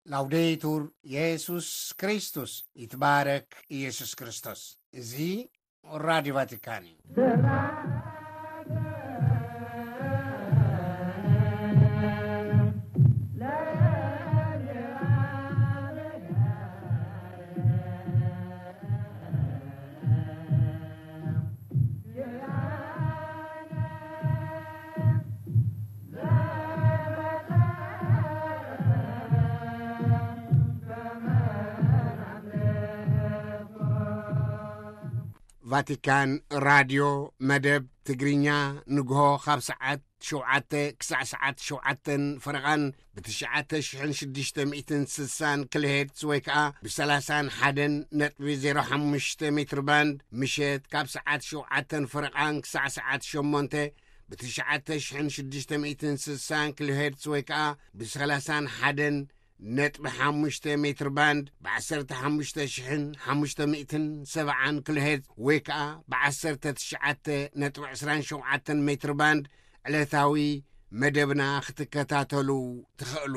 ላውዴቱር የሱስ ክርስቶስ፣ ይትባረክ ኢየሱስ ክርስቶስ። እዚ ራዲዮ ቫቲካን እዩ። ቫቲካን ራድዮ መደብ ትግርኛ፣ ንግሆ ካብ ሰዓት ሸውዓተ ክሳዕ ሰዓት ሸውዓተን ፈረቓን ብ ትሽዓተ ሽሕን ሽዱሽተ ሚእትን ስሳን ኪሎ ሄርትዝ ወይ ከኣ ብ ሰላሳን ሓደን ነጥቢ ዜሮ ሓሙሽተ ሜትር ባንድ፣ ምሸት ካብ ሰዓት ሸውዓተን ፈረቓን ክሳዕ ሰዓት ሸሞንተ ብ ትሽዓተ ሽሕን ሽዱሽተ ሚእትን ስሳን ኪሎ ሄርትዝ ወይ ከኣ ብ ሰላሳን ሓደን ነጥቢ ሓሙሽተ ሜትር ባንድ፣ ብ ዓሰርተ ሓሙሽተ ሽሕን ሓሙሽተ ሚእትን ሰብዓን ኪሎ ሄርትዝ ወይ ከኣ ብ ዓሰርተ ትሽዓተ ነጥቢ ዕስራን ሸውዓተን ሜትር ባንድ ዕለታዊ መደብና ክትከታተሉ ትኽእሉ።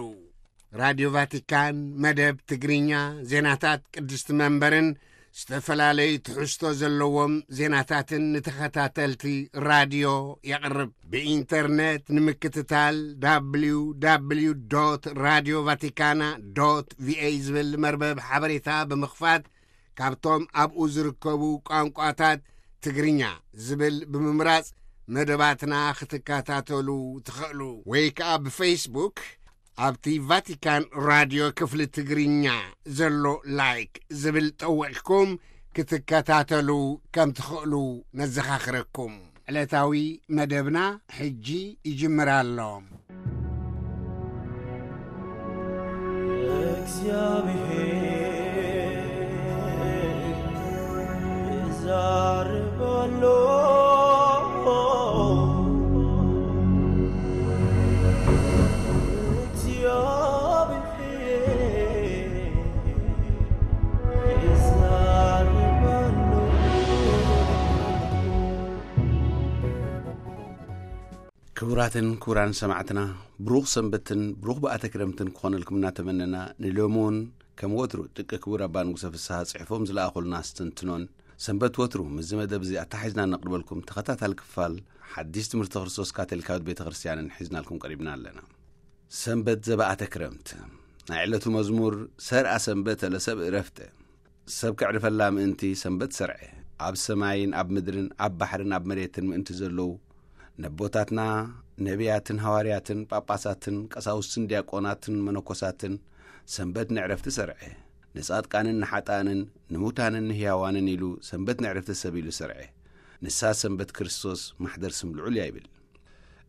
ራድዮ ቫቲካን መደብ ትግርኛ፣ ዜናታት ቅድስቲ መንበርን ዝተፈላለዩ ትሕዝቶ ዘለዎም ዜናታትን ንተኸታተልቲ ራድዮ የቕርብ። ብኢንተርነት ንምክትታል፣ www ራድዮ ቫቲካና ቪኤ ዝብል መርበብ ሓበሬታ ብምኽፋት፣ ካብቶም ኣብኡ ዝርከቡ ቋንቋታት ትግርኛ ዝብል ብምምራጽ መደባትና ክትከታተሉ ትኽእሉ። ወይ ከኣ ብፌስቡክ ኣብቲ ቫቲካን ራድዮ ክፍሊ ትግርኛ ዘሎ ላይክ ዝብል ጠዊቕኩም ክትከታተሉ ከም ትኽእሉ ነዘኻኽረኩም። ዕለታዊ መደብና ሕጂ ይጅምር ኣሎ። እግዚኣብሔር ይዛረብ ኣሎ። እግዚኣብሔር ይዛረብ ኣሎ። ክቡራትን ክቡራን ሰማዕትና፣ ብሩኽ ሰንበትን ብሩኽ በዓተ ክረምትን ክኾነልኩም እናተመነና፣ ንሎሚ እውን ከም ወትሩ ደቂ ክቡር ኣባ ንጉሰ ፍስሃ ጽሒፎም ዝለኣኹልና ኣስተንትኖን ሰንበት ወትሩ ምስዚ መደብ እዚ ኣተሓሒዝና ነቕርበልኩም ተኸታታሊ ክፋል ሓዲስ ትምህርቲ ክርስቶስ ካቶሊካዊት ቤተ ክርስቲያንን ሒዝናልኩም ቀሪብና ኣለና። ሰንበት ዘበኣተ ክረምት። ናይ ዕለቱ መዝሙር፣ ሰርኣ ሰንበተ ለሰብ እረፍተ። ሰብ ከዕርፈላ ምእንቲ ሰንበት ሰርዐ። ኣብ ሰማይን ኣብ ምድርን ኣብ ባሕርን ኣብ መሬትን ምእንቲ ዘለዉ ነቦታትና ነቢያትን ሃዋርያትን ጳጳሳትን ቀሳውስትን ዲያቆናትን መነኮሳትን ሰንበት ንዕረፍቲ ሰርዐ። ንጻድቃንን ንሓጣንን ንሙታንን ንህያዋንን ኢሉ ሰንበት ንዕረፍቲ ሰብ ኢሉ ሰርዐ። ንሳ ሰንበት ክርስቶስ ማሕደር ስም ልዑል እያ ይብል።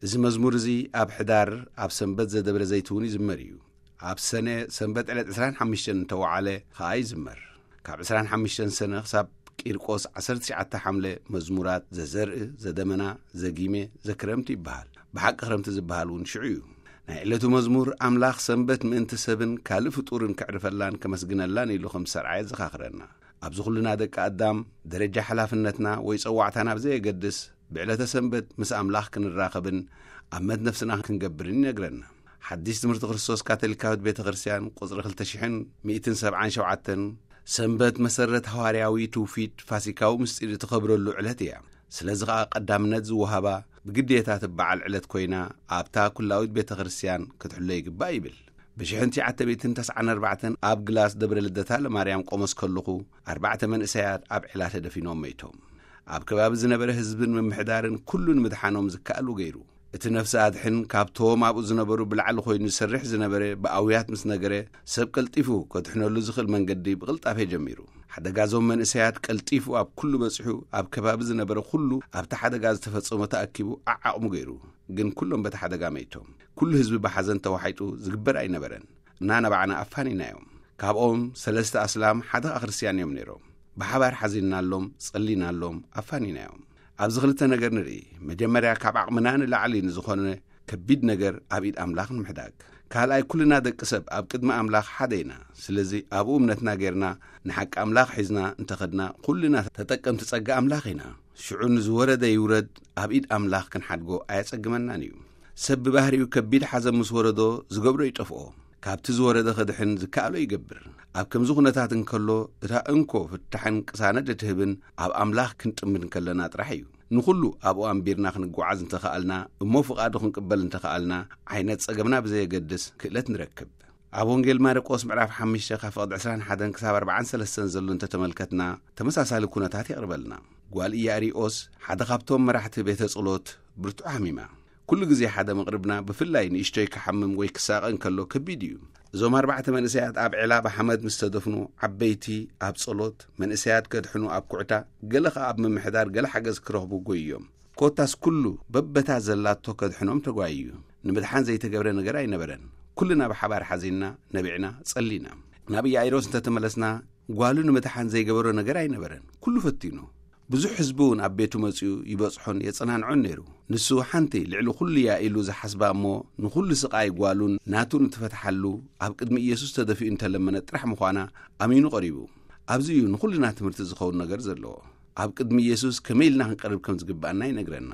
እዚ መዝሙር እዚ ኣብ ሕዳር ኣብ ሰንበት ዘደብረ ዘይትውን ይዝመር እዩ። ኣብ ሰነ ሰንበት ዕለት ዕስራን ሓሙሽተን እንተወዓለ ኸኣ ይዝመር። ካብ ዕስራን ሓሙሽተን ሰነ ክሳብ ቂርቆስ ዓሰርተ ትሽዓተ ሓምለ መዝሙራት ዘዘርኢ፣ ዘደመና፣ ዘጊሜ፣ ዘክረምቲ ይበሃል። ብሓቂ ክረምቲ ዝበሃል እውን ሽዑ እዩ። ናይ ዕለቱ መዝሙር ኣምላኽ ሰንበት ምእንቲ ሰብን ካልእ ፍጡርን ከዕርፈላን ከመስግነላን ኢሉ ከም ዝሰርዓ የዘኻኽረና። ኣብዚ ኩልና ደቂ ኣዳም ደረጃ ሓላፍነትና ወይ ጸዋዕታና ብዘየገድስ ብዕለተ ሰንበት ምስ ኣምላኽ ክንራኸብን ኣብ መት ነፍስና ክንገብርን ይነግረና። ሓዲስ ትምህርቲ ክርስቶስ ካቶሊካዊት ቤተ ክርስቲያን ቁጽሪ ክልተ ሽሕን ሚእትን ሰብዓን ሸውዓተን ሰንበት መሰረት ሃዋርያዊ ትውፊት ፋሲካዊ ምስጢር እትኸብረሉ ዕለት እያ። ስለዚ ኸኣ ቀዳምነት ዝወሃባ ብግዴታ ትበዓል ዕለት ኮይና ኣብታ ኩላዊት ቤተ ክርስቲያን ክትሕሎ ይግባእ ይብል። ብሽሕን ትሽዓተ ሚእትን ተስዓን ኣርባዕተን ኣብ ግላስ ደብረ ልደታ ለማርያም ቆመስ ከለኹ ኣርባዕተ መንእሰያት ኣብ ዒላ ተደፊኖም መይቶም። ኣብ ከባቢ ዝነበረ ህዝብን ምምሕዳርን ኩሉ ንምድሓኖም ዝከኣሉ ገይሩ። እቲ ነፍሲ ኣድሕን ካብቶም ኣብኡ ዝነበሩ ብላዕሊ ኮይኑ ዝሰርሕ ዝነበረ ብኣውያት ምስ ነገረ፣ ሰብ ቀልጢፉ ከድሕነሉ ዝኽእል መንገዲ ብቕልጣፌ ጀሚሩ። ሓደጋ እዞም መንእሰያት ቀልጢፉ ኣብ ኩሉ በጺሑ፣ ኣብ ከባቢ ዝነበረ ኩሉ ኣብቲ ሓደጋ ዝተፈጸሞ ተኣኪቡ ዓዓቕሙ ገይሩ። ግን ኩሎም በቲ ሓደጋ መይቶም። ኩሉ ህዝቢ ብሓዘን ተዋሒጡ ዝግበር ኣይነበረን። እናነባዕና ኣፋኒናዮም። ካብኦም ሰለስተ ኣስላም ሓደ ኸኣ ክርስትያን እዮም ነይሮም። ብሓባር ሓዚንናሎም፣ ጸሊናሎም፣ ኣፋኒናዮም። ኣብዚ ክልተ ነገር ንርኢ። መጀመርያ ካብ ዓቕምና ንላዕሊ ንዝኾነ ከቢድ ነገር ኣብ ኢድ ኣምላኽ ንምሕዳግ። ካልኣይ ኩልና ደቂ ሰብ ኣብ ቅድሚ ኣምላኽ ሓደ ኢና። ስለዚ ኣብኡ እምነትና ጌርና ንሓቂ ኣምላኽ ሒዝና እንተኸድና ኩልና ተጠቀምቲ ጸጋ ኣምላኽ ኢና። ሽዑ ንዝወረደ ይውረድ ኣብ ኢድ ኣምላኽ ክንሓድጎ ኣየጸግመናን እዩ። ሰብ ብባህሪኡ ከቢድ ሓዘን ምስ ወረዶ ዝገብሮ ይጠፍኦ። ካብቲ ዝወረደ ክድሕን ዝከኣሎ ይገብር። ኣብ ከምዚ ኩነታት እንከሎ፣ እታ እንኮ ፍታሕን ቅሳነት እትህብን ኣብ ኣምላኽ ክንጥምት እንከለና ጥራሕ እዩ። ንኹሉ ኣብኡ ኣንቢርና ክንጓዓዝ እንተኸኣልና፣ እሞ ፍቓዱ ክንቅበል እንተኸኣልና፣ ዓይነት ጸገምና ብዘየገድስ ክእለት ንረክብ። ኣብ ወንጌል ማርቆስ ምዕራፍ ሓሙሽተ ካብ ፍቕዲ ዕስራን ሓደን ክሳብ ኣርባዓን ሰለስተን ዘሎ እንተተመልከትና፣ ተመሳሳሊ ኩነታት የቕርበልና። ጓል ኢያኢሮስ ሓደ ካብቶም መራሕቲ ቤተ ጸሎት ብርቱዕ ሓሚማ። ኩሉ ግዜ ሓደ መቕርብና ብፍላይ ንእሽቶይ ክሓምም ወይ ክሳቐ እንከሎ ከቢድ እዩ። እዞም ኣርባዕተ መንእሰያት ኣብ ዒላ ብሓመድ ምስ ተደፍኑ፣ ዓበይቲ ኣብ ጸሎት፣ መንእሰያት ከድሕኑ ኣብ ኩዕታ፣ ገለ ኸኣ ኣብ ምምሕዳር ገለ ሓገዝ ክረኽቡ ጎይዮም። ኮታስ ኩሉ በበታ ዘላቶ ከድሕኖም ተጓይዩ። ንምድሓን ዘይተገብረ ነገር ኣይነበረን። ኩልና ብሓባር ሓዚንና፣ ነቢዕና፣ ጸሊና። ናብ ኢያኢሮስ እንተተመለስና፣ ጓሉ ንምድሓን ዘይገበሮ ነገር ኣይነበረን። ኩሉ ፈቲኑ። ብዙሕ ህዝቢ እውን ኣብ ቤቱ መጺኡ ይበጽሖን የጸናንዖን ነይሩ። ንሱ ሓንቲ ልዕሊ ኩሉ እያ ኢሉ ዝሓስባ እሞ ንኹሉ ስቓይ ጓሉን ናቱን እትፈትሓሉ ኣብ ቅድሚ ኢየሱስ ተደፊኡ እንተለመነ ጥራሕ ምዃና ኣሚኑ ቀሪቡ። ኣብዚ እዩ ንኹልና ትምህርቲ ዝኸውን ነገር ዘለዎ። ኣብ ቅድሚ ኢየሱስ ከመይ ኢልና ክንቀርብ ከም ዝግብኣና ይነግረና።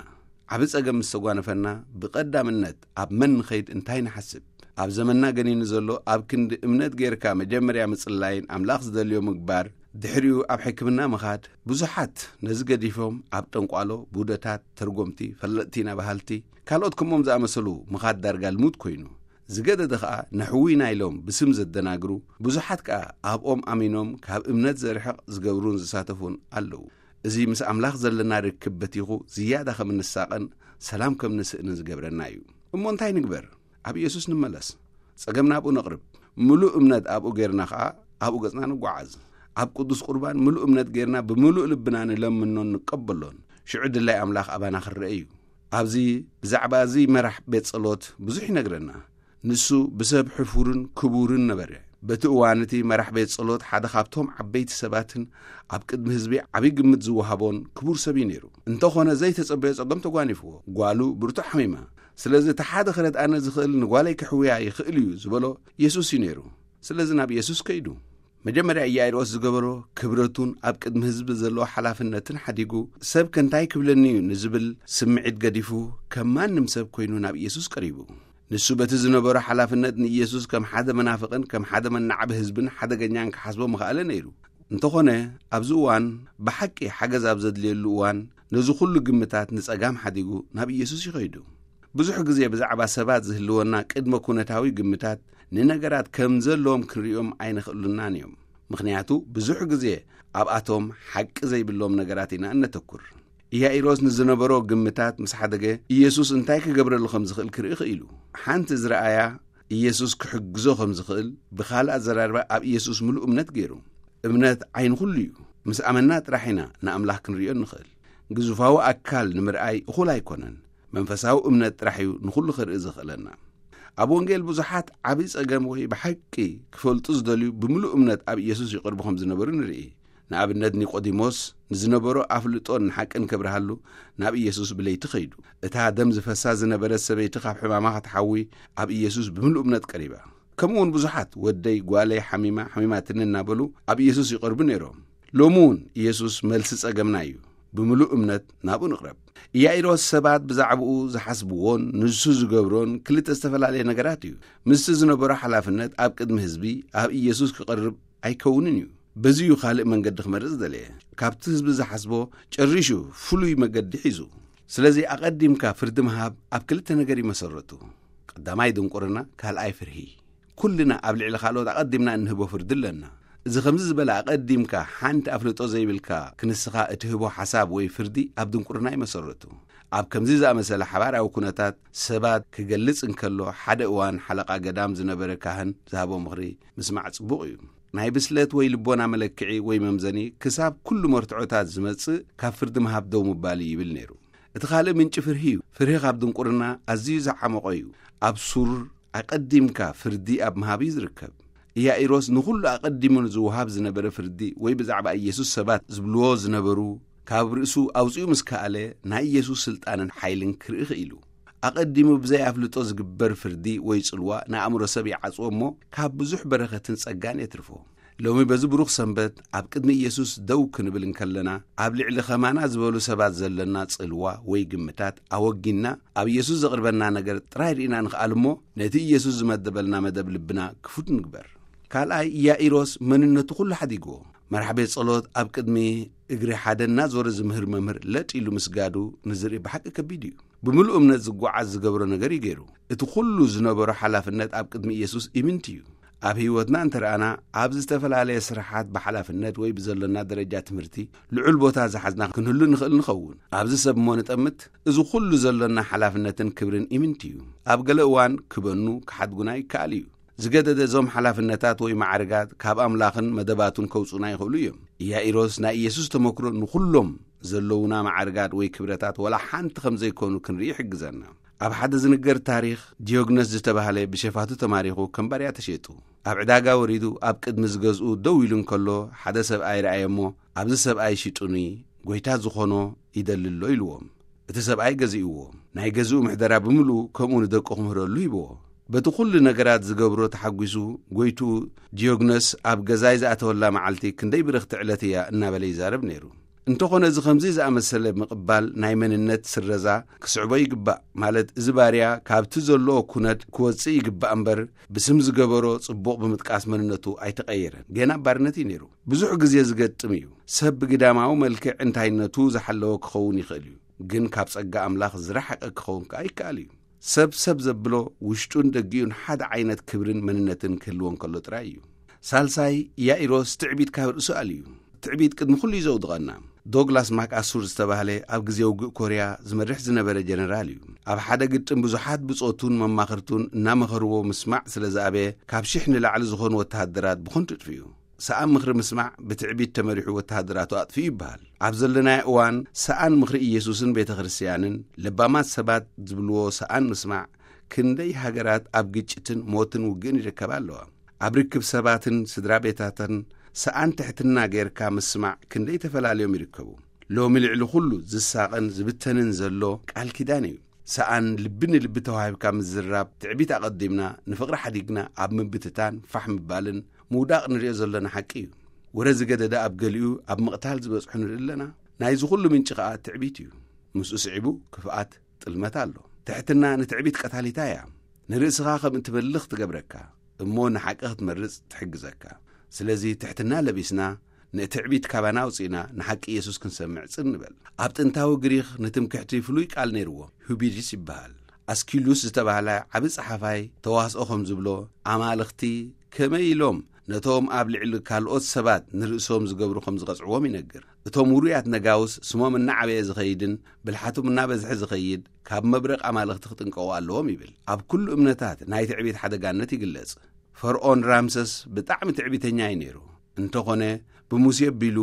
ዓቢ ጸገም ምስ ተጓነፈና፣ ብቐዳምነት ኣብ መን ንኸይድ እንታይ ንሓስብ? ኣብ ዘመንና ገኒኑ ዘሎ ኣብ ክንዲ እምነት ጌርካ መጀመርያ ምጽላይን ኣምላኽ ዝደልዮ ምግባር፣ ድሕሪኡ ኣብ ሕክምና ምኻድ፣ ብዙሓት ነዚ ገዲፎም ኣብ ጠንቋሎ፣ ቡደታት፣ ተርጎምቲ፣ ፈለጥቲ ኢና በሃልቲ፣ ካልኦት ከምኦም ዝኣመሰሉ ምኻድ ዳርጋ ልሙድ ኮይኑ፣ ዝገደደ ኸኣ ነሕውይና ኢሎም ብስም ዘደናግሩ፣ ብዙሓት ከኣ ኣብኦም ኣሚኖም ካብ እምነት ዘርሕቕ ዝገብሩን ዝሳተፉን ኣለዉ። እዚ ምስ ኣምላኽ ዘለና ርክብ በቲኹ ዝያዳ ከም እንሳቐን ሰላም ከም ንስእንን ዝገብረና እዩ። እሞ እንታይ ንግበር? ኣብ ኢየሱስ ንመለስ። ጸገም ናብኡ ነቕርብ። ምሉእ እምነት ኣብኡ ጌርና ኸኣ ኣብኡ ገጽና ንጓዓዝ። ኣብ ቅዱስ ቁርባን ምሉእ እምነት ጌርና ብምሉእ ልብና ንለምኖን ንቀበሎን። ሽዑ ድላይ ኣምላኽ ኣባና ክረአ እዩ። ኣብዚ ብዛዕባ እዚ መራሕ ቤት ጸሎት ብዙሕ ይነግረና። ንሱ ብሰብ ሕፉርን ክቡርን ነበረ። በቲ እዋን እቲ መራሕ ቤት ጸሎት ሓደ ካብቶም ዓበይቲ ሰባትን ኣብ ቅድሚ ህዝቢ ዓቢ ግምት ዝወሃቦን ክቡር ሰብ እዩ ነይሩ። እንተኾነ ዘይተጸበዮ ጸገም ተጓኒፍዎ። ጓሉ ብርቱዕ ሓሚማ። ስለዚ እቲ ሓደ ክረድኣኒ ዝኽእል ንጓለይ ክሕውያ ይኽእል እዩ ዝበሎ የሱስ እዩ ነይሩ። ስለዚ ናብ የሱስ ከይዱ። መጀመርያ ኢያኢሮስ ዝገበሮ ክብረቱን ኣብ ቅድሚ ህዝቢ ዘለዎ ሓላፍነትን ሓዲጉ፣ ሰብ ከ እንታይ ክብለኒ እዩ ንዝብል ስምዒት ገዲፉ ከም ማንም ሰብ ኮይኑ ናብ ኢየሱስ ቀሪቡ። ንሱ በቲ ዝነበሮ ሓላፍነት ንኢየሱስ ከም ሓደ መናፍቕን ከም ሓደ መናዕቢ ህዝብን ሓደገኛን ክሓስቦ ምኽኣለ ነይሩ። እንተኾነ ኣብዚ እዋን ብሓቂ ሓገዝ ኣብ ዘድልየሉ እዋን ነዚ ኩሉ ግምታት ንጸጋም ሓዲጉ ናብ ኢየሱስ ይኸይዱ። ብዙሕ ግዜ ብዛዕባ ሰባት ዝህልወና ቅድመ ኩነታዊ ግምታት ንነገራት ከም ዘለዎም ክንርእዮም ኣይንኽእሉናን እዮም። ምኽንያቱ ብዙሕ ግዜ ኣብኣቶም ሓቂ ዘይብሎም ነገራት ኢና እነተኩር። ኢያኢሮስ ንዝነበሮ ግምታት ምስ ሓደገ ኢየሱስ እንታይ ክገብረሉ ከም ዝኽእል ክርኢ ክኢሉ። ሓንቲ ዝረኣያ ኢየሱስ ክሕግዞ ከም ዝኽእል ብኻልእ ኣዘራርባ ኣብ ኢየሱስ ምሉእ እምነት ገይሩ። እምነት ዓይኒ ኩሉ እዩ። ምስ ኣመና ጥራሕ ኢና ንኣምላኽ ክንርእዮ እንኽእል። ግዙፋዊ ኣካል ንምርኣይ እኹል ኣይኮነን። መንፈሳዊ እምነት ጥራሕ እዩ ንኹሉ ክርኢ ዝኽእለና። ኣብ ወንጌል ብዙሓት ዓቢ ጸገም ወይ ብሓቂ ክፈልጡ ዝደልዩ ብምሉእ እምነት ኣብ ኢየሱስ ይቐርቡ ከም ዝነበሩ ንርኢ። ንኣብነት ኒቆዲሞስ ንዝነበሮ ኣፍልጦን ሓቅን ከብርሃሉ ናብ ኢየሱስ ብለይቲ ኸይዱ። እታ ደም ዝፈሳ ዝነበረት ሰበይቲ ካብ ሕማማ ክትሓዊ ኣብ ኢየሱስ ብምሉእ እምነት ቀሪባ። ከምኡ እውን ብዙሓት ወደይ ጓለይ ሓሚማ ሓሚማትኒ እናበሉ ኣብ ኢየሱስ ይቐርቡ ነይሮም። ሎሚ እውን ኢየሱስ መልሲ ጸገምና እዩ። ብምሉእ እምነት ናብኡ ንቕረብ። ኢያኢሮስ ሰባት ብዛዕባኡ ዝሓስብዎን ንሱ ዝገብሮን ክልተ ዝተፈላለየ ነገራት እዩ። ምስቲ ዝነበሮ ሓላፍነት ኣብ ቅድሚ ህዝቢ ኣብ ኢየሱስ ክቐርብ ኣይከውንን እዩ። በዚ እዩ ካልእ መንገዲ ክመርጽ ዝደለየ። ካብቲ ህዝቢ ዝሓስቦ ጨሪሹ ፍሉይ መገዲ ሒዙ። ስለዚ ኣቐዲምካ ፍርዲ ምሃብ ኣብ ክልተ ነገር ይመሰረቱ። ቀዳማይ ድንቁርና፣ ካልኣይ ፍርሂ። ኩልና ኣብ ልዕሊ ካልኦት ኣቐዲምና እንህቦ ፍርዲ ኣለና። እዚ ከምዚ ዝበለ ኣቐዲምካ ሓንቲ ኣፍልጦ ዘይብልካ ክንስኻ እትህቦ ሓሳብ ወይ ፍርዲ ኣብ ድንቁርና ይመሰረቱ። ኣብ ከምዚ ዝኣመሰለ ሓባራዊ ኩነታት ሰባት ክገልጽ እንከሎ፣ ሓደ እዋን ሓለቓ ገዳም ዝነበረ ካህን ዝሃቦ ምኽሪ ምስማዕ ጽቡቕ እዩ። ናይ ብስለት ወይ ልቦና መለክዒ ወይ መምዘኒ ክሳብ ኩሉ መርትዖታት ዝመጽእ ካብ ፍርዲ ምሃብ ደው ምባል እዩ ይብል ነይሩ። እቲ ካልእ ምንጪ ፍርሂ እዩ። ፍርሂ ካብ ድንቁርና ኣዝዩ ዝዓመቖ እዩ። ኣብ ሱር ኣቐዲምካ ፍርዲ ኣብ ምሃብ እዩ ዝርከብ። ኢያኢሮስ ንኹሉ ኣቐዲሙ ንዝወሃብ ዝነበረ ፍርዲ ወይ ብዛዕባ ኢየሱስ ሰባት ዝብልዎ ዝነበሩ ካብ ርእሱ ኣውጺኡ ምስ ከኣለ ናይ ኢየሱስ ስልጣንን ሓይልን ክርኢ ክኢሉ። ኣቐዲሙ ብዘይ ኣፍልጦ ዝግበር ፍርዲ ወይ ጽልዋ ንኣእምሮ ሰብ ይዓጽዎ እሞ ካብ ብዙሕ በረኸትን ጸጋን የትርፎ። ሎሚ በዚ ብሩኽ ሰንበት ኣብ ቅድሚ ኢየሱስ ደው ክንብል እንከለና፣ ኣብ ልዕሊ ኸማና ዝበሉ ሰባት ዘለና ጽልዋ ወይ ግምታት ኣወጊንና፣ ኣብ ኢየሱስ ዘቕርበና ነገር ጥራይ ርኢና ንኽኣል እሞ፣ ነቲ ኢየሱስ ዝመደበልና መደብ ልብና ክፉት ንግበር። ካልኣይ፣ ኢያኢሮስ መንነቱ ኩሉ ሓዲግዎ። መራሕ ቤት ጸሎት ኣብ ቅድሚ እግሪ ሓደ እናዞረ ዝምህር መምህር ለጥ ኢሉ ምስጋዱ ንዝርኢ ብሓቂ ከቢድ እዩ። ብምሉእ እምነት ዝጓዓዝ ዝገብሮ ነገር እዩ ገይሩ። እቲ ኩሉ ዝነበሮ ሓላፍነት ኣብ ቅድሚ ኢየሱስ ኢምንቲ እዩ። ኣብ ህይወትና እንተ ረኣና፣ ኣብ ዝተፈላለየ ስራሓት ብሓላፍነት ወይ ብዘሎና ደረጃ ትምህርቲ ልዑል ቦታ ዝሓዝና ክንህሉ ንኽእል ንኸውን። ኣብዚ ሰብ እሞ ንጠምት፣ እዚ ኩሉ ዘሎና ሓላፍነትን ክብርን ኢምንቲ እዩ። ኣብ ገለ እዋን ክበኑ፣ ክሓድጉና ይከኣል እዩ። ዝገደደ እዞም ሓላፍነታት ወይ ማዕርጋት ካብ ኣምላኽን መደባቱን ከውጹና ይኽእሉ እዮም። ኢያኢሮስ ናይ ኢየሱስ ተመክሮ ንኹሎም ዘለውና ማዕርጋት ወይ ክብረታት ወላ ሓንቲ ከም ዘይኮኑ ክንርኢ ይሕግዘና። ኣብ ሓደ ዝንገር ታሪኽ፣ ዲዮግነስ ዝተባህለ ብሸፋቱ ተማሪኹ ከም ባርያ ተሸይጡ። ኣብ ዕዳጋ ወሪዱ ኣብ ቅድሚ ዝገዝኡ ደው ኢሉ እንከሎ፣ ሓደ ሰብኣይ ረኣየ እሞ፣ "ኣብዚ ሰብኣይ ሽጡኒ፣ ጎይታ ዝኾኖ ይደሊ ኣሎ" ኢልዎም። እቲ ሰብኣይ ገዚእዎ። ናይ ገዝኡ ምሕደራ ብምልኡ ከምኡ ንደቁ ክምህረሉ ሂብዎ። በቲ ኩሉ ነገራት ዝገብሮ ተሓጒሱ፣ ጎይትኡ ዲዮግነስ ኣብ ገዛይ ዝኣተወላ መዓልቲ ክንደይ ብርኽቲ ዕለት እያ እናበለ ይዛረብ ነይሩ። እንተኾነ፣ እዚ ከምዚ ዝኣመሰለ ምቕባል ናይ መንነት ስረዛ ክስዕቦ ይግባእ። ማለት፣ እዚ ባርያ ካብቲ ዘለዎ ኩነት ክወጽእ ይግባእ እምበር፣ ብስም ዝገበሮ ጽቡቕ ብምጥቃስ መንነቱ ኣይተቐየረን። ገና ኣብ ባርነት እዩ ነይሩ። ብዙሕ ግዜ ዝገጥም እዩ። ሰብ ብግዳማዊ መልክዕ እንታይነቱ ዝሓለወ ክኸውን ይኽእል እዩ፣ ግን ካብ ጸጋ ኣምላኽ ዝረሓቐ ክኸውን ከኣ ይከኣል እዩ። ሰብ ሰብ ዘብሎ ውሽጡን ደጊኡን ሓደ ዓይነት ክብርን መንነትን ክህልዎ እንከሎ ጥራይ እዩ። ሳልሳይ፣ ያኢሮስ ትዕቢት ካብ ርእሱ ኣልዩ። ትዕቢት ቅድሚ ኩሉ እዩ ዘውድቐና። ዶግላስ ማክ ኣሱር ዝተባህለ ኣብ ግዜ ውግእ ኮርያ ዝመርሕ ዝነበረ ጀነራል እዩ። ኣብ ሓደ ግጥም ብዙሓት ብጾቱን መማኽርቱን እናመኸርዎ ምስማዕ ስለ ዝኣበየ፣ ካብ ሽሕ ንላዕሊ ዝኾኑ ወተሃደራት ብኸንቱ ጥፍኡ። ሰኣን ምኽሪ ምስማዕ ብትዕቢት ተመሪሑ ወተሃደራቱ ኣጥፍኡ ይበሃል። ኣብ ዘለናዮ እዋን ሰኣን ምኽሪ ኢየሱስን ቤተ ክርስቲያንን ለባማት ሰባት ዝብልዎ ሰኣን ምስማዕ ክንደይ ሃገራት ኣብ ግጭትን ሞትን ውግእን ይርከባ ኣለዋ። ኣብ ርክብ ሰባትን ስድራ ቤታትን ሰኣን ትሕትና ጌርካ ምስማዕ ክንደይ ተፈላልዮም ይርከቡ። ሎሚ ልዕሊ ኩሉ ዝሳቐን ዝብተንን ዘሎ ቃል ኪዳን እዩ። ሰኣን ልቢ ንልቢ ተዋሂብካ ምዝራብ ትዕቢት ኣቐዲምና ንፍቕሪ ሓዲግና ኣብ ምብትታን ፋሕ ምባልን ምውዳቕ ንሪኦ ዘለና ሓቂ እዩ። ወረ ዝገደደ ኣብ ገሊኡ ኣብ ምቕታል ዝበጽሑ ንርኢ ኣለና። ናይዚ ኩሉ ምንጪ ከኣ ትዕቢት እዩ። ምስኡ ስዒቡ ክፍኣት ጥልመት ኣሎ። ትሕትና ንትዕቢት ቀታሊታ እያ። ንርእስኻ ከም እትበልኽ ትገብረካ፣ እሞ ንሓቂ ክትመርጽ ትሕግዘካ። ስለዚ ትሕትና ለቢስና፣ ንትዕቢት ካባና ኣውጺእና ንሓቂ ኢየሱስ ክንሰምዕ ጽን ንበል። ኣብ ጥንታዊ ግሪኽ ንትምክሕቲ ፍሉይ ቃል ነይርዎ፣ ሁቢሪስ ይበሃል። ኣስኪሉስ ዝተባህለ ዓቢ ጸሓፋይ ተዋስኦ ከም ዝብሎ፣ ኣማልኽቲ ከመይ ኢሎም ነቶም ኣብ ልዕሊ ካልኦት ሰባት ንርእሶም ዝገብሩ ከም ዝቐጽዕዎም ይነግር። እቶም ውሩያት ነጋውስ ስሞም እናዓበየ ዝኸይድን ብልሓቶም እናበዝሐ ዝኸይድ፣ ካብ መብረቕ ኣማልኽቲ ክጥንቀቑ ኣለዎም ይብል። ኣብ ኩሉ እምነታት ናይ ትዕቢት ሓደጋነት ይግለጽ። ፈርዖን ራምሰስ ብጣዕሚ ትዕቢተኛ እዩ ነይሩ። እንተኾነ፣ ብሙሴ ኣቢሉ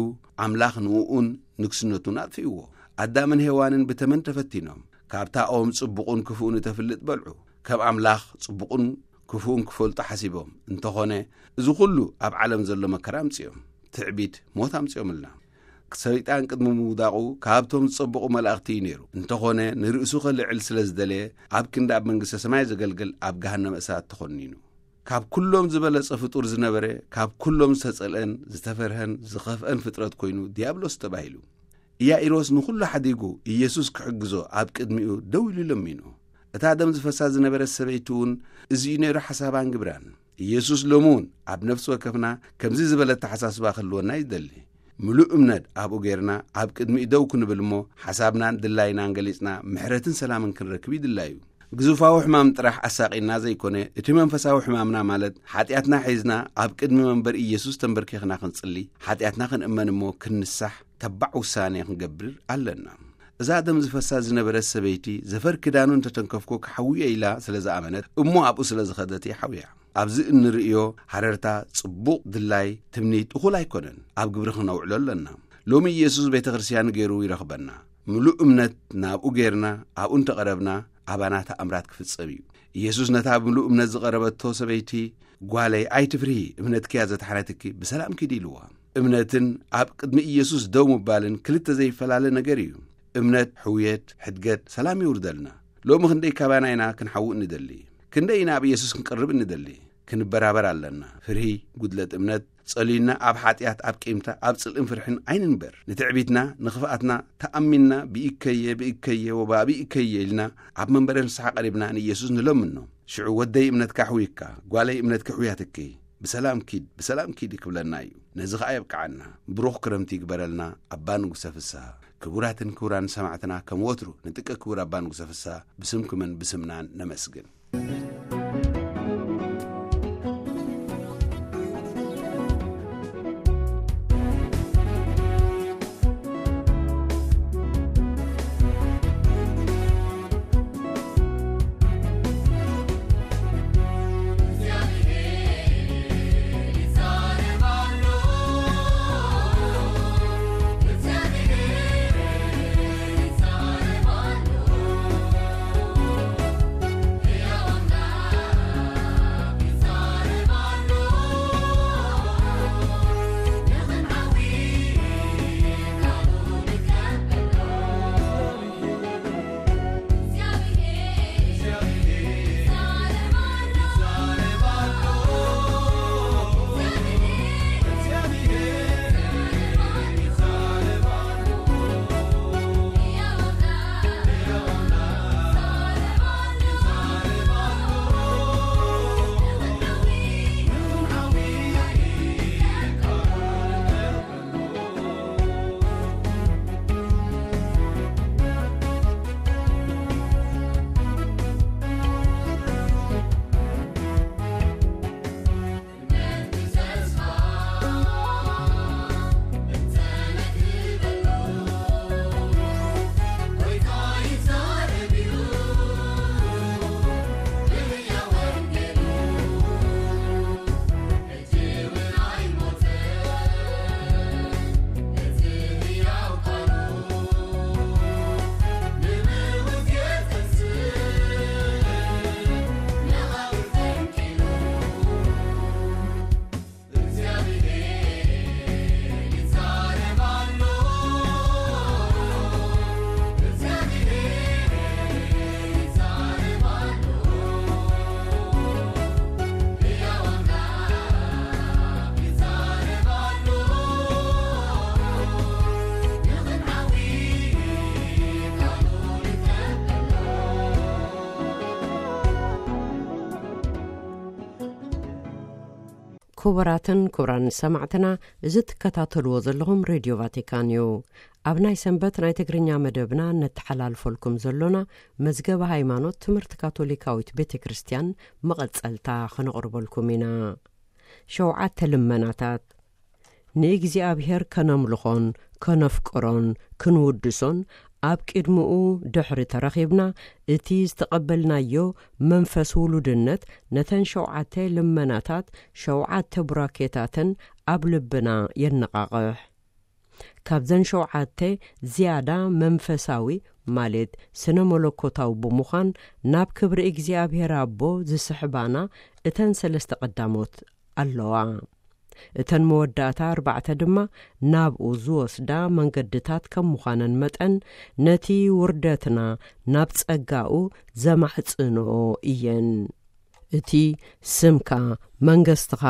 ኣምላኽ ንእኡን ንግስነቱን ኣጥፊእዎ። ኣዳምን ሄዋንን ብተመን ተፈቲኖም፣ ካብታ ኦም ጽቡቕን ክፉእን እተፍልጥ በልዑ። ከም ኣምላኽ ጽቡቕን ክፉእን ክፈልጡ ሓሲቦም። እንተኾነ፣ እዚ ኩሉ ኣብ ዓለም ዘሎ መከራ ኣምጺኦም። ትዕቢት ሞት ኣምጺኦምልና። ሰይጣን ቅድሚ ምውዳቑ ካብቶም ዝጸበቑ መላእኽቲ እዩ ነይሩ። እንተኾነ፣ ንርእሱ ከልዕል ስለ ዝደለየ፣ ኣብ ክንዲ ኣብ መንግስተ ሰማይ ዘገልግል ኣብ ገሃነመ እሳት ተኾኒኑ። ካብ ኩሎም ዝበለጸ ፍጡር ዝነበረ፣ ካብ ኩሎም ዝተጸልአን ዝተፈርሀን ዝኸፍአን ፍጥረት ኮይኑ ዲያብሎስ ተባሂሉ። ኢያኢሮስ ንኹሉ ሓዲጉ ኢየሱስ ክሕግዞ ኣብ ቅድሚኡ ደው ኢሉ ለሚኑ። እታ ደም ዝፈሳ ዝነበረት ሰበይቲ እውን እዚ እዩ ነይሩ ሓሳባን ግብራን። ኢየሱስ ሎሚ እውን ኣብ ነፍሲ ወከፍና ከምዚ ዝበለ ኣተሓሳስባ ክህልወና ይደሊ። ምሉእ እምነት ኣብኡ ጌርና ኣብ ቅድሚኡ ደው ክንብል እሞ ሓሳብናን ድላይናን ገሊጽና ምሕረትን ሰላምን ክንረክብ ይድላዩ። ግዙፋዊ ሕማም ጥራሕ ኣሳቒና ዘይኮነ፣ እቲ መንፈሳዊ ሕማምና ማለት ሓጢኣትና ሒዝና ኣብ ቅድሚ መንበር ኢየሱስ ተንበርኪኽና ክንጽሊ፣ ሓጢኣትና ክንእመን እሞ ክንንሳሕ ተባዕ ውሳኔ ክንገብር ኣለና። እዛ ደም ዝፈሳ ዝነበረት ሰበይቲ ዘፈር ክዳኑ እንተተንከፍኩ ክሓውዮ ኢላ ስለ ዝኣመነት እሞ ኣብኡ ስለ ዝኸደት እያ ሓውያ። ኣብዚ እንርእዮ ሃረርታ ጽቡቕ ድላይ ትምኒት እኹል ኣይኮነን፣ ኣብ ግብሪ ክነውዕሎ ኣለና። ሎሚ ኢየሱስ ቤተ ክርስቲያኑ ገይሩ ይረኽበና። ምሉእ እምነት ናብኡ ጌርና ኣብኡ እንተቐረብና ኣባና ተኣምራት ክፍጸም እዩ። ኢየሱስ ነታ ብምሉእ እምነት ዝቐረበቶ ሰበይቲ፣ "ጓለይ ኣይትፍርሂ፣ እምነትኪ እያ ዘድሓነትኪ፣ ብሰላም ኪዲ" ኢልዋ። እምነትን ኣብ ቅድሚ ኢየሱስ ደው ምባልን ክልተ ዘይፈላለ ነገር እዩ። እምነት፣ ሕውየት፣ ሕድገት፣ ሰላም የውርደልና። ሎሚ ክንደይ ካባና ኢና ክንሓውእ እንደሊ? ክንደይ ኢና ኣብ ኢየሱስ ክንቀርብ እንደሊ? ክንበራበር ኣለና። ፍርሂ፣ ጉድለት እምነት፣ ጸልዩና ኣብ ሓጢኣት፣ ኣብ ቂምታ፣ ኣብ ጽልእን ፍርሕን ኣይንንበር። ንትዕቢትና፣ ንኽፍኣትና ተኣሚንና ብኢከየ፣ ብኢከየ፣ ወባብኢከየ ኢልና ኣብ መንበረ ንስሓ ቀሪብና ንኢየሱስ ንለምኖ። ሽዑ "ወደይ እምነትካ ሕውይካ፣ ጓለይ እምነትኪ ሕውያትኪ፣ ብሰላም ኪድ፣ ብሰላም ኪዲ" ክብለና እዩ። ነዚ ኸኣ የብቅዓና። ብሩኽ ክረምቲ ይግበረልና ኣባ ንጉሰ ፍስሃ። ክቡራትን ክቡራን ሰማዕትና፣ ከም ወትሩ ንጥቀ ክቡር ኣባ ንጉሰ ፍስሃ ብስምኩምን ብስምናን ነመስግን። ክቡራትን ክቡራን ሰማዕትና፣ እዚ ትከታተልዎ ዘለኹም ሬድዮ ቫቲካን እዩ። ኣብ ናይ ሰንበት ናይ ትግርኛ መደብና ነተሓላልፈልኩም ዘሎና መዝገበ ሃይማኖት ትምህርቲ ካቶሊካዊት ቤተ ክርስቲያን መቐጸልታ ከነቕርበልኩም ኢና። ሸውዓተ ልመናታት። ንእግዚኣብሔር ከነምልኾን ከነፍቅሮን ክንውድሶን ኣብ ቅድሚኡ ድሕሪ ተረኺብና፣ እቲ ዝተቐበልናዮ መንፈስ ውሉድነት ነተን ሸውዓተ ልመናታት ሸውዓተ ቡራኬታተን ኣብ ልብና የነቓቕሕ። ካብዘን ሸውዓተ ዝያዳ መንፈሳዊ፣ ማለት ስነ መለኮታዊ ብምዃን፣ ናብ ክብሪ እግዚኣብሔር ኣቦ ዝስሕባና እተን ሰለስተ ቀዳሞት ኣለዋ። እተን መወዳእታ ኣርባዕተ ድማ ናብኡ ዝወስዳ መንገድታት ከም ምዃነን መጠን፣ ነቲ ውርደትና ናብ ጸጋኡ ዘማሕጽንኦ እየን። እቲ ስምካ፣ መንግስትኻ፣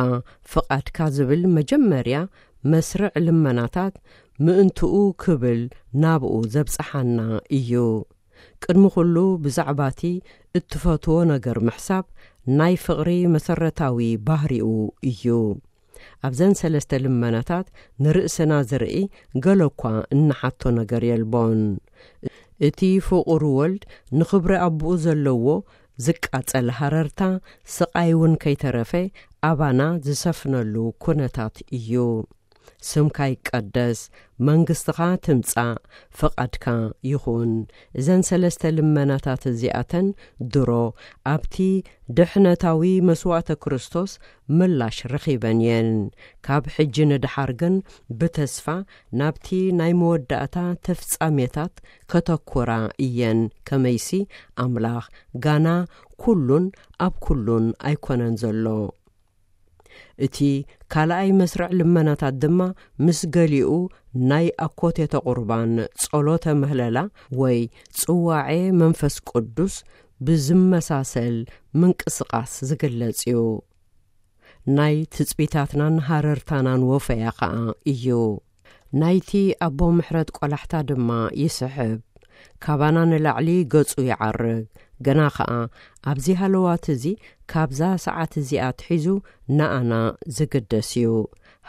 ፍቓድካ ዝብል መጀመርያ መስርዕ ልመናታት ምእንትኡ ክብል ናብኡ ዘብጽሓና እዩ። ቅድሚ ኩሉ ብዛዕባቲ እትፈትዎ ነገር ምሕሳብ ናይ ፍቕሪ መሰረታዊ ባህሪኡ እዩ። ኣብዘን ሰለስተ ልመናታት ንርእስና ዝርኢ ገለ እኳ እንሓቶ ነገር የልቦን። እቲ ፍቑር ወልድ ንኽብሪ ኣቦኡ ዘለዎ ዝቃጸል ሃረርታ፣ ስቓይ እውን ከይተረፈ ኣባና ዝሰፍነሉ ኩነታት እዩ። ስምካ ይቀደስ፣ መንግስትኻ ትምጻእ፣ ፍቓድካ ይኹን። እዘን ሰለስተ ልመናታት እዚኣተን ድሮ ኣብቲ ድሕነታዊ መስዋእተ ክርስቶስ ምላሽ ረኺበን እየን። ካብ ሕጂ ንደሓር ግን ብተስፋ ናብቲ ናይ መወዳእታ ተፍጻሜታት ከተኩራ እየን። ከመይሲ ኣምላኽ ጋና ኩሉን ኣብ ኩሉን ኣይኮነን ዘሎ። እቲ ካልኣይ መስርዕ ልመናታት ድማ ምስ ገሊኡ ናይ ኣኮቴተ ቁርባን ጸሎተ ምህለላ ወይ ጽዋዔ መንፈስ ቅዱስ ብዝመሳሰል ምንቅስቓስ ዝግለጽ እዩ። ናይ ትጽቢታትናን ሃረርታናን ወፈያ ኸኣ እዩ። ናይቲ ኣቦ ምሕረት ቆላሕታ ድማ ይስሕብ። ካባና ንላዕሊ ገጹ ይዓርግ። ገና ኸኣ ኣብዚ ሃለዋት እዚ፣ ካብዛ ሰዓት እዚኣ ኣትሒዙ ንኣና ዝግደስ እዩ።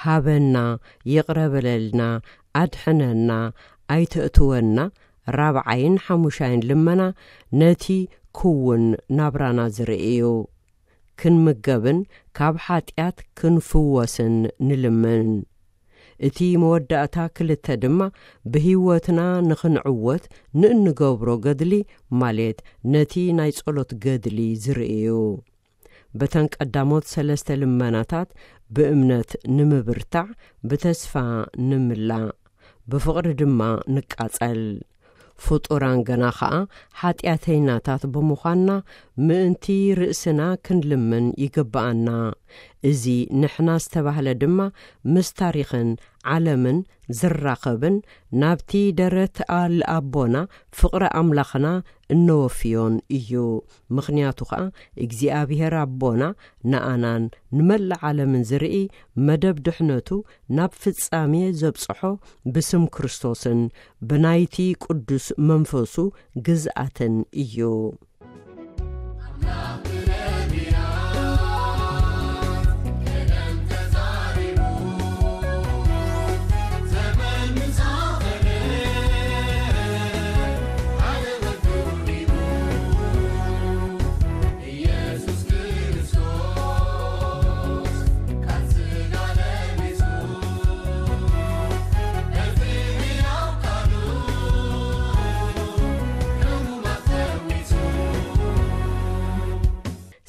ሃበና፣ ይቕረ በለልና፣ ኣድሕነና፣ ኣይተእትወና፣ ራብዓይን ሓሙሻይን ልመና ነቲ ክውን ናብራና ዝርኢ እዩ። ክንምገብን ካብ ሓጢኣት ክንፍወስን ንልምን። እቲ መወዳእታ ክልተ ድማ ብህይወትና ንኽንዕወት ንእንገብሮ ገድሊ፣ ማለት ነቲ ናይ ጸሎት ገድሊ ዝርኢ እዩ። በተን ቀዳሞት ሰለስተ ልመናታት ብእምነት ንምብርታዕ፣ ብተስፋ ንምላእ፣ ብፍቕሪ ድማ ንቃጸል። ፍጡራን ገና ኸኣ ሓጢኣተይናታት ብምዃንና፣ ምእንቲ ርእስና ክንልምን ይግብኣና። እዚ ንሕና ዝተባህለ ድማ ምስ ታሪኽን ዓለምን ዝራኸብን፣ ናብቲ ደረት ኣል ኣቦና ፍቕሪ ኣምላኽና እነወፍዮን እዩ። ምኽንያቱ ኸኣ እግዚኣብሔር ኣቦና ንኣናን ንመላእ ዓለምን ዝርኢ፣ መደብ ድሕነቱ ናብ ፍጻሜ ዘብጽሖ ብስም ክርስቶስን ብናይቲ ቅዱስ መንፈሱ ግዝኣትን እዩ።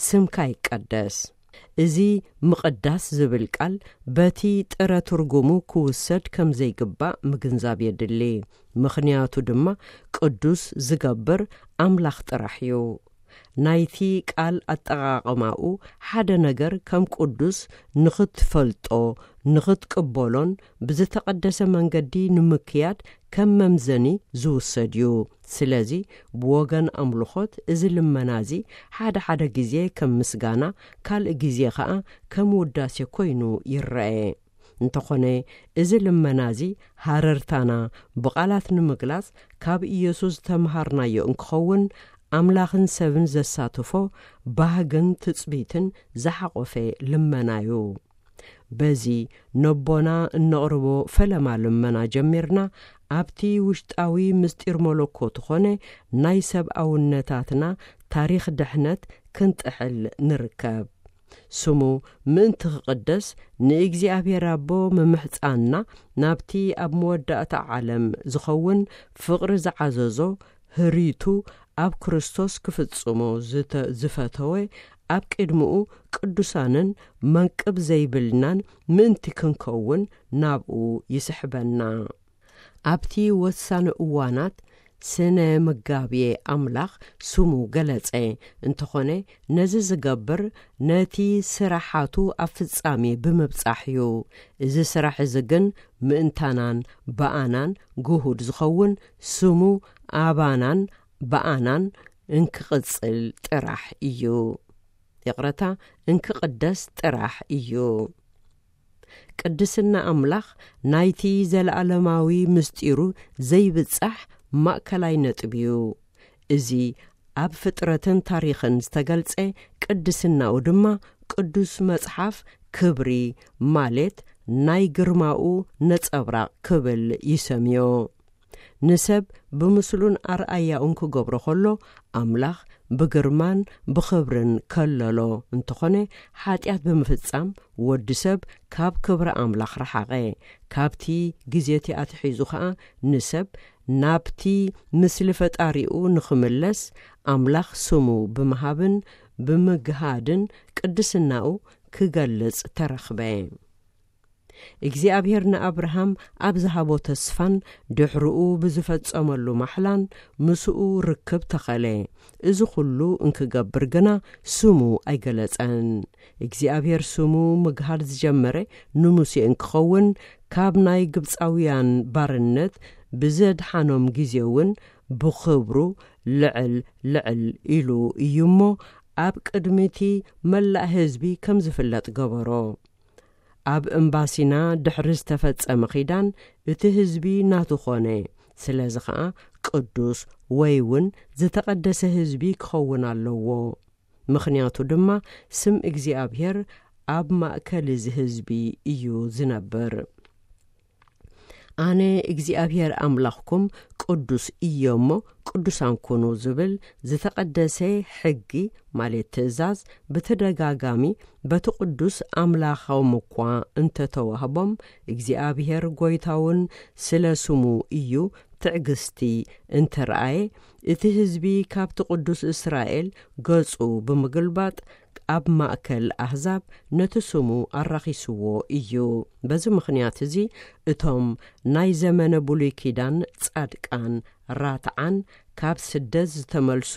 ስምካ ይቀደስ። እዚ ምቕዳስ ዝብል ቃል በቲ ጥረ ትርጉሙ ክውሰድ ከም ዘይግባእ ምግንዛብ የድሊ። ምኽንያቱ ድማ ቅዱስ ዝገብር ኣምላኽ ጥራሕ እዩ። ናይቲ ቃል ኣጠቓቕማኡ ሓደ ነገር ከም ቅዱስ ንኽትፈልጦ፣ ንኽትቅበሎን ብዝተቐደሰ መንገዲ ንምክያድ ከም መምዘኒ ዝውሰድ እዩ። ስለዚ ብወገን ኣምልኾት እዚ ልመና እዚ ሓደ ሓደ ግዜ ከም ምስጋና፣ ካልእ ግዜ ኸኣ ከም ውዳሴ ኮይኑ ይረኤ። እንተኾነ እዚ ልመና እዚ ሃረርታና ብቓላት ንምግላጽ ካብ ኢየሱስ ዝተምሃርናዮ እንክኸውን፣ ኣምላኽን ሰብን ዘሳትፎ ባህግን ትጽቢትን ዝሓቖፈ ልመና እዩ። በዚ ነቦና እነቕርቦ ፈለማ ልመና ጀሚርና፣ ኣብቲ ውሽጣዊ ምስጢር መለኮቱ ኾነ ናይ ሰብኣውነታትና ታሪኽ ድሕነት ክንጥሕል ንርከብ። ስሙ ምእንቲ ክቕደስ ንእግዚኣብሔር ኣቦ ምምሕጻንና፣ ናብቲ ኣብ መወዳእታ ዓለም ዝኸውን ፍቕሪ ዝዓዘዞ ህሪቱ ኣብ ክርስቶስ ክፍጽሞ ዝተ-፣ ዝፈተወ፣ ኣብ ቅድሚኡ ቅዱሳንን መንቅብ ዘይብልናን ምእንቲ ክንከውን ናብኡ ይስሕበና። ኣብቲ ወሳኒ እዋናት ስነ መጋብየ ኣምላኽ ስሙ ገለጸ። እንተኾነ ነዚ ዝገብር ነቲ ስራሓቱ ኣብ ፍጻሜ ብምብጻሕ እዩ። እዚ ስራሕ እዚ ግን ምእንታናን ብኣናን ግሁድ ዝኸውን ስሙ ኣባናን ብኣናን እንክቕጽል ጥራሕ እዩ። ይቕረታ፣ እንክቕደስ ጥራሕ እዩ። ቅድስና ኣምላኽ ናይቲ ዘለኣለማዊ ምስጢሩ ዘይብጻሕ ማእከላይ ነጥቢ እዩ። እዚ ኣብ ፍጥረትን ታሪኽን ዝተገልጸ ቅድስናኡ ድማ ቅዱስ መጽሓፍ ክብሪ ማለት ናይ ግርማኡ ነጸብራቕ ክብል ይሰምዮ። ንሰብ ብምስሉን ኣርኣያኡን ክገብሮ ከሎ፣ ኣምላኽ ብግርማን ብኽብርን ከለሎ እንተኾነ፣ ሓጢኣት ብምፍጻም ወዲ ሰብ ካብ ክብሪ ኣምላኽ ረሓቐ። ካብቲ ግዜ እቲ ኣትሒዙ ኸኣ ንሰብ ናብቲ ምስሊ ፈጣሪኡ ንኽምለስ ኣምላኽ ስሙ ብምሃብን ብምግሃድን ቅድስናኡ ክገልጽ ተረኽበ። እግዚኣብሔር ንኣብርሃም ኣብ ዝሃቦ ተስፋን ድሕርኡ ብዝፈጸመሉ ማሕላን ምስኡ ርክብ ተኸለ። እዚ ኹሉ እንክገብር ግና ስሙ ኣይገለጸን። እግዚኣብሔር ስሙ ምግሃድ ዝጀመረ ንሙሴ እንክኸውን፣ ካብ ናይ ግብጻውያን ባርነት ብዘድሓኖም ግዜ እውን ብኽብሩ ልዕል ልዕል ኢሉ እዩ እሞ፣ ኣብ ቅድሚቲ መላእ ህዝቢ ከም ዝፍለጥ ገበሮ። ኣብ እምባሲና ድሕሪ ዝተፈጸመ ኺዳን እቲ ህዝቢ ናቱ ኾነ። ስለዚ ኸኣ ቅዱስ ወይ እውን ዝተቐደሰ ህዝቢ ክኸውን ኣለዎ። ምኽንያቱ ድማ ስም እግዚኣብሔር ኣብ ማእከል እዚ ህዝቢ እዩ ዝነብር። ኣነ እግዚኣብሔር ኣምላኽኩም ቅዱስ እየ እሞ ቅዱሳን ኩኑ ዝብል ዝተቐደሰ ሕጊ ማለት ትእዛዝ ብተደጋጋሚ በቲ ቅዱስ ኣምላኾም እኳ እንተተዋህቦም እግዚኣብሔር ጎይታውን ስለ ስሙ እዩ ትዕግስቲ እንተረኣየ እቲ ህዝቢ ካብቲ ቅዱስ እስራኤል ገጹ ብምግልባጥ ኣብ ማእከል ኣህዛብ ነቲ ስሙ ኣራኺስዎ እዩ። በዚ ምኽንያት እዚ እቶም ናይ ዘመነ ብሉይ ኪዳን ጻድቃን ራትዓን ካብ ስደት ዝተመልሱ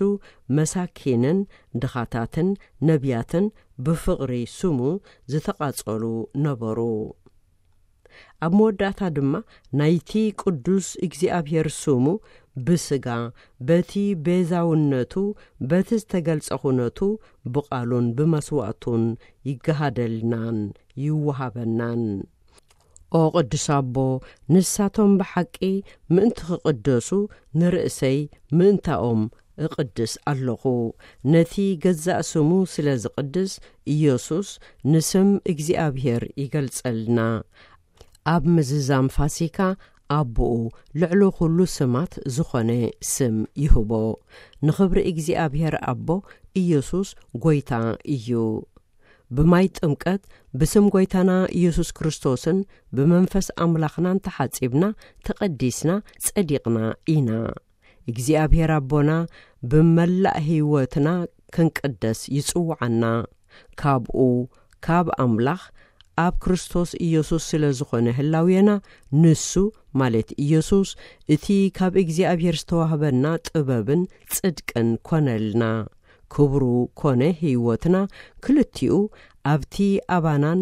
መሳኪንን ድኻታትን ነቢያትን ብፍቕሪ ስሙ ዝተቓጸሉ ነበሩ። ኣብ መወዳእታ ድማ ናይቲ ቅዱስ እግዚኣብሔር ስሙ ብስጋ በቲ ቤዛውነቱ በቲ ዝተገልጸ ኩነቱ ብቓሉን ብመስዋእቱን ይገሃደልናን ይወሃበናን። ኦ ቅዱስ ኣቦ፣ ንሳቶም ብሓቂ ምእንቲ ክቕደሱ ንርእሰይ ምእንታኦም እቕድስ ኣለኹ። ነቲ ገዛእ ስሙ ስለ ዝቕድስ ኢየሱስ ንስም እግዚኣብሔር ይገልጸልና። ኣብ ምዝዛም ፋሲካ ኣቦኡ ልዕሊ ኩሉ ስማት ዝኾነ ስም ይህቦ። ንኽብሪ እግዚኣብሔር ኣቦ ኢየሱስ ጎይታ እዩ። ብማይ ጥምቀት ብስም ጎይታና ኢየሱስ ክርስቶስን ብመንፈስ ኣምላኽናን ተሓጺብና ተቐዲስና ጸዲቕና ኢና። እግዚኣብሔር ኣቦና ብመላእ ህይወትና ክንቅደስ ይጽውዓና። ካብኡ ካብ ኣምላኽ ኣብ ክርስቶስ ኢየሱስ ስለ ዝኾነ ህላውየና ንሱ ማለት ኢየሱስ እቲ ካብ እግዚኣብሔር ዝተዋህበና ጥበብን ጽድቅን ኮነልና። ክብሩ ኮነ ህይወትና ክልቲኡ ኣብቲ ኣባናን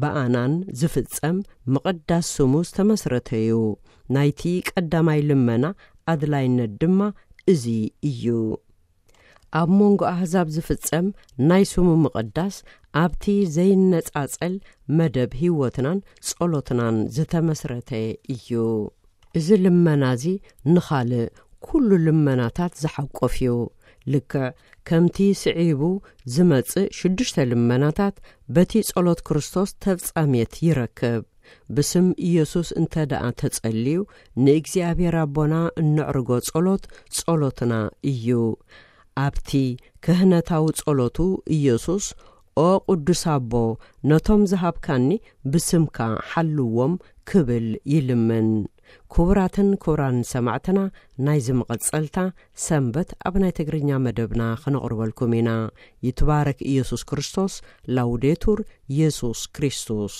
ብኣናን ዝፍጸም ምቕዳስ ስሙ ዝተመስረተዩ። ናይቲ ቀዳማይ ልመና ኣድላይነት ድማ እዚ እዩ። ኣብ መንጎ ኣህዛብ ዝፍጸም ናይ ስሙ ምቕዳስ ኣብቲ ዘይነጻጸል መደብ ህይወትናን ጸሎትናን ዝተመስረተ እዩ። እዚ ልመና እዚ ንኻልእ ኩሉ ልመናታት ዝሓቆፍ እዩ። ልክዕ ከምቲ ስዒቡ ዝመጽእ ሽዱሽተ ልመናታት በቲ ጸሎት ክርስቶስ ተፍጻሜት ይረክብ። ብስም ኢየሱስ እንተ ደኣ ተጸልዩ ንእግዚኣብሔር ኣቦና እነዕርጎ ጸሎት ጸሎትና እዩ። ኣብቲ ክህነታዊ ጸሎቱ ኢየሱስ ኦ ቅዱስ ኣቦ ነቶም ዝሃብካኒ ብስምካ ሓልዎም ክብል ይልምን። ክቡራትን ክቡራን ሰማዕትና ናይዚ መቐጸልታ ሰንበት ኣብ ናይ ትግርኛ መደብና ክነቕርበልኩም ኢና። ይትባረክ ኢየሱስ ክርስቶስ። ላውዴቱር ኢየሱስ ክርስቶስ።